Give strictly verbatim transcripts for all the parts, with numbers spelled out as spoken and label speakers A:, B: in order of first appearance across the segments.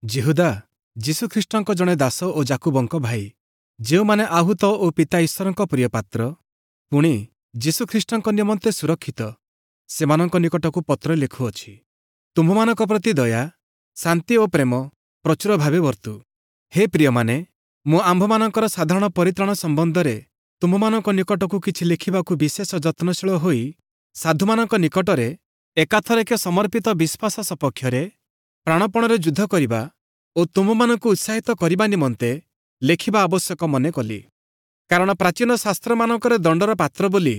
A: ଯିହୁଦା ଯୀଶୁଖ୍ରୀଷ୍ଟଙ୍କ ଜଣେ ଦାସ ଓ ଯାକୁବଙ୍କ ଭାଇ, ଯେଉଁମାନେ ଆହୁତ ଓ ପିତା ଈଶ୍ୱରଙ୍କ ପ୍ରିୟପାତ୍ର, ପୁଣି ଯୀଶୁଖ୍ରୀଷ୍ଟଙ୍କ ନିମନ୍ତେ ସୁରକ୍ଷିତ, ସେମାନଙ୍କ ନିକଟକୁ ପତ୍ର ଲେଖୁଅଛି। ତୁମ୍ଭମାନଙ୍କ ପ୍ରତି ଦୟା, ଶାନ୍ତି ଓ ପ୍ରେମ ପ୍ରଚୁର ଭାବେ ବର୍ତ୍ତୁ। ହେ ପ୍ରିୟମାନେ, ମୁଁ ଆମ୍ଭମାନଙ୍କର ସାଧାରଣ ପରିତ୍ରାଣ ସମ୍ବନ୍ଧରେ ତୁମ୍ଭମାନଙ୍କ ନିକଟକୁ କିଛି ଲେଖିବାକୁ ବିଶେଷ ଯତ୍ନଶୀଳ ହୋଇ ସାଧୁମାନଙ୍କ ନିକଟରେ ଏକାଥରକେ ସମର୍ପିତ ବିଶ୍ୱାସ ସପକ୍ଷରେ ପ୍ରାଣପଣରେ ଯୁଦ୍ଧ କରିବା ଓ ତୁମ୍ଭମାନଙ୍କୁ ଉତ୍ସାହିତ କରିବା ନିମନ୍ତେ ଲେଖିବା ଆବଶ୍ୟକ ମନେ କଲି। କାରଣ ପ୍ରାଚୀନ ଶାସ୍ତ୍ରମାନଙ୍କରେ ଦଣ୍ଡର ପାତ୍ର ବୋଲି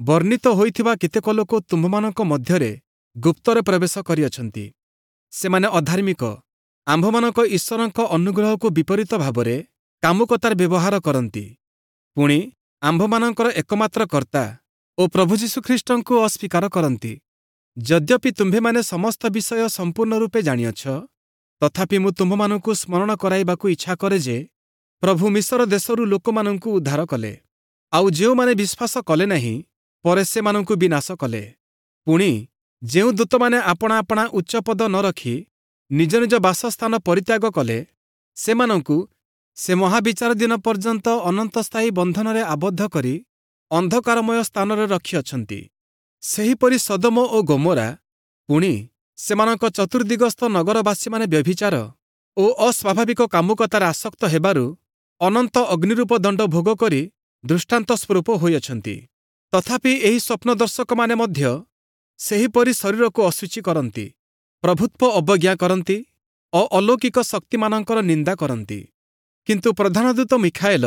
A: ବର୍ଣ୍ଣିତ ହୋଇଥିବା କେତେକ ଲୋକ ତୁମ୍ଭମାନଙ୍କ ମଧ୍ୟରେ ଗୁପ୍ତରେ ପ୍ରବେଶ କରିଅଛନ୍ତି। ସେମାନେ ଅଧାର୍ମିକ, ଆମ୍ଭମାନଙ୍କ ଈଶ୍ୱରଙ୍କ ଅନୁଗ୍ରହକୁ ବିପରୀତ ଭାବରେ କାମୁକତାରେ ବ୍ୟବହାର କରନ୍ତି, ପୁଣି ଆମ୍ଭମାନଙ୍କର ଏକମାତ୍ର କର୍ତ୍ତା ଓ ପ୍ରଭୁ ଯୀଶୁଖ୍ରୀଷ୍ଟଙ୍କୁ ଅସ୍ୱୀକାର କରନ୍ତି। ଯଦ୍ୟପି ତୁମ୍ଭେମାନେ ସମସ୍ତ ବିଷୟ ସମ୍ପୂର୍ଣ୍ଣ ରୂପେ ଜାଣିଅଛ, ତଥାପି ମୁଁ ତୁମ୍ଭମାନଙ୍କୁ ସ୍ମରଣ କରାଇବାକୁ ଇଚ୍ଛା କରେ ଯେ ପ୍ରଭୁ ମିଶର ଦେଶରୁ ଲୋକମାନଙ୍କୁ ଉଦ୍ଧାର କଲେ, ଆଉ ଯେଉଁମାନେ ବିଶ୍ୱାସ କଲେ ନାହିଁ, ପରେ ସେମାନଙ୍କୁ ବିନାଶ କଲେ। ପୁଣି ଯେଉଁ ଦୂତମାନେ ଆପଣା ଆପଣା ଉଚ୍ଚପଦ ନ ରଖି ନିଜ ନିଜ ବାସସ୍ଥାନ ପରିତ୍ୟାଗ କଲେ, ସେମାନଙ୍କୁ ସେ ମହାବିଚାର ଦିନ ପର୍ଯ୍ୟନ୍ତ ଅନନ୍ତସ୍ଥାୟୀ ବନ୍ଧନରେ ଆବଦ୍ଧ କରି ଅନ୍ଧକାରମୟ ସ୍ଥାନରେ ରଖିଅଛନ୍ତି। ସେହିପରି ସଦୋମ ଓ ଗୋମୋରା, ପୁଣି ସେମାନଙ୍କ ଚତୁର୍ଦ୍ଦିଗସ୍ଥ ନଗରବାସୀମାନେ ବ୍ୟଭିଚାର ଓ ଅସ୍ୱାଭାବିକ କାମୁକତାରେ ଆସକ୍ତ ହେବାରୁ ଅନନ୍ତ ଅଗ୍ନିରୂପ ଦଣ୍ଡ ଭୋଗ କରି ଦୃଷ୍ଟାନ୍ତ ସ୍ୱରୂପ ହୋଇଅଛନ୍ତି। ତଥାପି ଏହି ସ୍ୱପ୍ନଦର୍ଶକମାନେ ମଧ୍ୟ ସେହିପରି ଶରୀରକୁ ଅଶୁଚି କରନ୍ତି, ପ୍ରଭୁତ୍ୱ ଅବଜ୍ଞା କରନ୍ତି ଓ ଅଲୌକିକ ଶକ୍ତିମାନଙ୍କର ନିନ୍ଦା କରନ୍ତି। କିନ୍ତୁ ପ୍ରଧାନଦୂତ ମିଖାଏଲ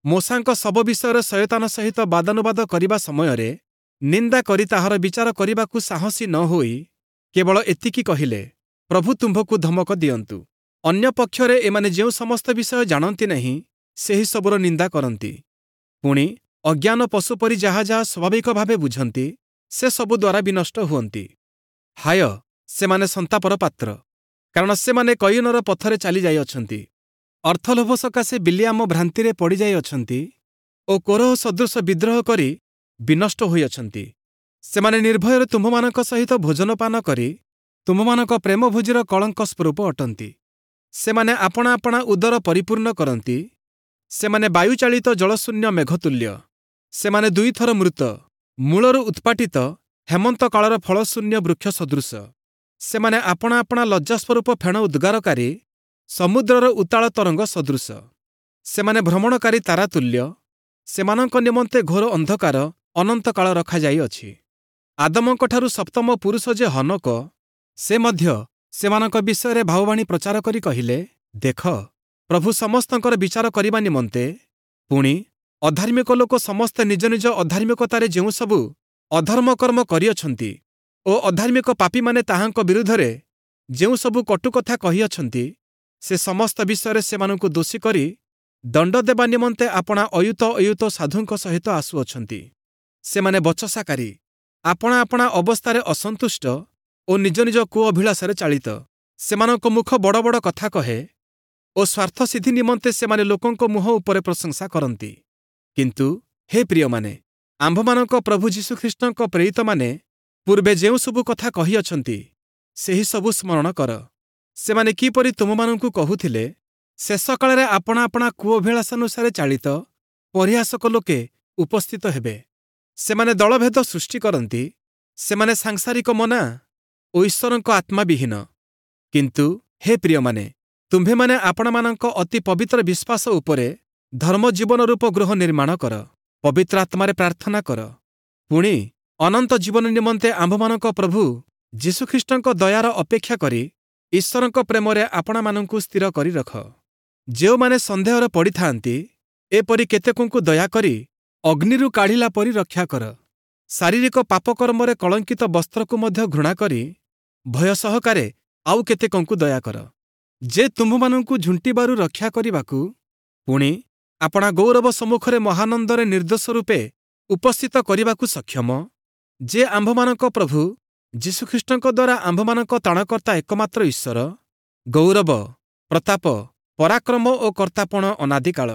A: ମୋଶାଙ୍କ ଶବ ବିଷୟରେ ଶୟତାନ ସହିତ ବାଦାନୁବାଦ କରିବା ସମୟରେ ନିନ୍ଦା କରି ତାହାର ବିଚାର କରିବାକୁ ସାହସୀ ନ ହୋଇ କେବଳ ଏତିକି କହିଲେ, ପ୍ରଭୁ ତୁମ୍ଭକୁ ଧମକ ଦିଅନ୍ତୁ। ଅନ୍ୟ ପକ୍ଷରେ ଏମାନେ ଯେଉଁ ସମସ୍ତ ବିଷୟ ଜାଣନ୍ତି ନାହିଁ, ସେହି ସବୁର ନିନ୍ଦା କରନ୍ତି। ପୁଣି ଅଜ୍ଞାନ ପଶୁ ପରି ଯାହା ଯାହା ସ୍ୱାଭାବିକ ଭାବେ ବୁଝନ୍ତି, ସେ ସବୁ ଦ୍ୱାରା ବିନଷ୍ଟ ହୁଅନ୍ତି। ହାୟ, ସେମାନେ ସନ୍ତାପର ପାତ୍ର, କାରଣ ସେମାନେ କୟିନର ପଥରେ ଚାଲିଯାଇଅଛନ୍ତି। ଅର୍ଥଲୋଭ ସକାଶେ ବିଲିଆମ ଭ୍ରାନ୍ତିରେ ପଡ଼ିଯାଇଅଛନ୍ତି ଓ କୋରହ ସଦୃଶ ବିଦ୍ରୋହ କରି ବିନଷ୍ଟ ହୋଇଅଛନ୍ତି। ସେମାନେ ନିର୍ଭୟରେ ତୁମ୍ଭମାନଙ୍କ ସହିତ ଭୋଜନପାନ କରି ତୁମ୍ଭମାନଙ୍କ ପ୍ରେମଭୋଜିର କଳଙ୍କ ସ୍ୱରୂପ ଅଟନ୍ତି। ସେମାନେ ଆପଣା ଆପଣା ଉଦର ପରିପୂର୍ଣ୍ଣ କରନ୍ତି। ସେମାନେ ବାୟୁଚାଳିତ ଜଳଶୂନ୍ୟ ମେଘତୁଲ୍ୟ। ସେମାନେ ଦୁଇଥର ମୃତ, ମୂଳରୁ ଉତ୍ପାଟିତ ହେମନ୍ତ କାଳର ଫଳଶୂନ୍ୟ ବୃକ୍ଷ ସଦୃଶ। ସେମାନେ ଆପଣା ଆପଣା ଲଜ୍ଜାସ୍ୱରୂପ ଫେଣ ଉଦ୍ଗାରକାରୀ ସମୁଦ୍ରର ଉତ୍ତାଳ ତରଙ୍ଗ ସଦୃଶ। ସେମାନେ ଭ୍ରମଣକାରୀ ତାରାତୁଲ୍ୟ। ସେମାନଙ୍କ ନିମନ୍ତେ ଘୋର ଅନ୍ଧକାର ଅନନ୍ତକାଳ ରଖାଯାଇଅଛି। ଆଦମଙ୍କଠାରୁ ସପ୍ତମ ପୁରୁଷ ଯେ ହନୋକ, ସେ ମଧ୍ୟ ସେମାନଙ୍କ ବିଷୟରେ ଭାବବାଣୀ ପ୍ରଚାର କରି କହିଲେ, ଦେଖ, ପ୍ରଭୁ ସମସ୍ତଙ୍କର ବିଚାର କରିବା ନିମନ୍ତେ, ପୁଣି ଅଧାର୍ମିକ ଲୋକ ସମସ୍ତେ ନିଜ ନିଜ ଅଧାର୍ମିକତାରେ ଯେଉଁ ସବୁ ଅଧର୍ମ କର୍ମ କରିଅଛନ୍ତି ଓ ଅଧାର୍ମିକ ପାପୀମାନେ ତାହାଙ୍କ ବିରୁଦ୍ଧରେ ଯେଉଁ ସବୁ କଟୁ କଥା କହିଅଛନ୍ତି, ସେ ସମସ୍ତ ବିଷୟରେ ସେମାନଙ୍କୁ ଦୋଷୀ କରି ଦଣ୍ଡ ଦେବା ନିମନ୍ତେ ଆପଣା ଅୟୁତ ଅୟୁତ ସାଧୁଙ୍କ ସହିତ ଆସୁଅଛନ୍ତି। ସେମାନେ ବଚସାକାରୀ, ଆପଣା ଆପଣା ଅବସ୍ଥାରେ ଅସନ୍ତୁଷ୍ଟ ଓ ନିଜ ନିଜ କୁଅଭିଳାଷରେ ଚାଳିତ। ସେମାନଙ୍କ ମୁଖ ବଡ଼ ବଡ଼ କଥା କହେ ଓ ସ୍ୱାର୍ଥସିଦ୍ଧି ନିମନ୍ତେ ସେମାନେ ଲୋକଙ୍କ ମୁହଁ ଉପରେ ପ୍ରଶଂସା କରନ୍ତି। କିନ୍ତୁ ହେ ପ୍ରିୟମାନେ, ଆମ୍ଭମାନଙ୍କ ପ୍ରଭୁ ଯୀଶୁଖ୍ରୀଷ୍ଟଙ୍କ ପ୍ରେରିତମାନେ ପୂର୍ବେ ଯେଉଁ ସବୁ କଥା କହିଅଛନ୍ତି, ସେହି ସବୁ ସ୍ମରଣ କର। ସେମାନେ କିପରି ତୁମମାନଙ୍କୁ କହୁଥିଲେ, ଶେଷ କାଳରେ ଆପଣା ଆପଣା କୁଅଭିଳାଷାନୁସାରେ ଚାଳିତ ପରିହାସକ ଲୋକେ ଉପସ୍ଥିତ ହେବେ। ସେମାନେ ଦଳଭେଦ ସୃଷ୍ଟି କରନ୍ତି। ସେମାନେ ସାଂସାରିକ ମନା ଓ ଈଶ୍ୱରଙ୍କ ଆତ୍ମାବିହୀନ। କିନ୍ତୁ ହେ ପ୍ରିୟମାନେ, ତୁମ୍ଭେମାନେ ଆପଣମାନଙ୍କ ଅତି ପବିତ୍ର ବିଶ୍ୱାସ ଉପରେ ଧର୍ମ ଜୀବନ ରୂପ ଗୃହ ନିର୍ମାଣ କର, ପବିତ୍ର ଆତ୍ମାରେ ପ୍ରାର୍ଥନା କର। ପୁଣି ଅନନ୍ତ ଜୀବନ ନିମନ୍ତେ ଆମ୍ଭମାନଙ୍କ ପ୍ରଭୁ ଯୀଶୁଖ୍ରୀଷ୍ଟଙ୍କ ଦୟାର ଅପେକ୍ଷା କରି ଈଶ୍ୱରଙ୍କ ପ୍ରେମରେ ଆପଣମାନଙ୍କୁ ସ୍ଥିର କରି ରଖ। ଯେଉଁମାନେ ସନ୍ଦେହରେ ପଡ଼ିଥାନ୍ତି, ଏପରି କେତେକଙ୍କୁ ଦୟାକରି ଅଗ୍ନିରୁ କାଢ଼ିଲା ପରି ରକ୍ଷା କର। ଶାରୀରିକ ପାପକର୍ମରେ କଳଙ୍କିତ ବସ୍ତ୍ରକୁ ମଧ୍ୟ ଘୃଣା କରି ଭୟ ସହକାରେ ଆଉ କେତେକଙ୍କୁ ଦୟା କର। ଯେ ତୁମ୍ଭମାନଙ୍କୁ ଝୁଣ୍ଟିବାରୁ ରକ୍ଷା କରିବାକୁ, ପୁଣି ଆପଣା ଗୌରବ ସମ୍ମୁଖରେ ମହାନନ୍ଦରେ ନିର୍ଦ୍ଦୋଷ ରୂପେ ଉପସ୍ଥିତ କରିବାକୁ ସକ୍ଷମ, ଯେ ଆମ୍ଭମାନଙ୍କ ପ୍ରଭୁ ଯୀଶୁଖ୍ରୀଷ୍ଟଙ୍କ ଦ୍ୱାରା ଆମ୍ଭମାନଙ୍କ ତ୍ରାଣକର୍ତ୍ତା ଏକମାତ୍ର ଈଶ୍ୱର, ଗୌରବ, ପ୍ରତାପ, ପରାକ୍ରମ ଓ କର୍ତ୍ତାପଣ ଅନାଦିକାଳ,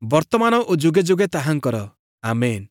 A: ବର୍ତ୍ତମାନ ଓ ଯୁଗେ ଯୁଗେ ତାହାଙ୍କର। ଆମେନ୍।